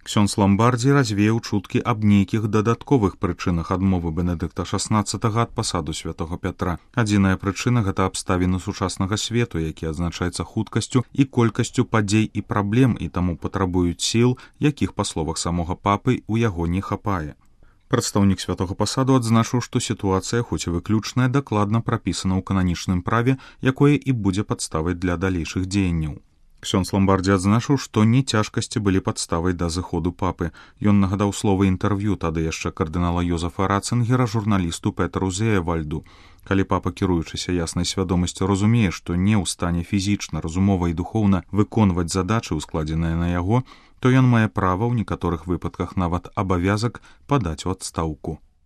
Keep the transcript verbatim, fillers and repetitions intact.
Ксёндз Ламбардзі развеяў чуткі аб нейкіх дадатковых прычынах адмовы Бенедыкта шаснаццатага ад пасаду святога Пятра. Адзіная прычына — гэта абставіны сучаснага свету, які адзначаецца хуткасцю і колькасцю падзей і праблем, і таму патрабуюць сіл, якіх, па словах самога папы, у яго не хапае. Прадстаўнік святога пасаду адзначыў, што сітуацыя, хоць і выключная, дакладна прапісана ў кананічным праве, якое і будзе падставай для далейшых дзеянняў. Ксёндз Ламбардзі адзначыў, што не цяжкасці былі падставай да зыходу папы. Ён нагадаў словы інтэрв'ю тады яшчэ кардынала Йозефа Рацынгера журналісту Петру Зеевальду. Калі папа, кіруючыся яснай свядомасцю, разумее, што не ў стане фізічна, разумова і духоўна выконваць задачы, ускладзеныя на яго, то ён мае права ў некаторых выпадках нават абавязак падаць у адстаўку.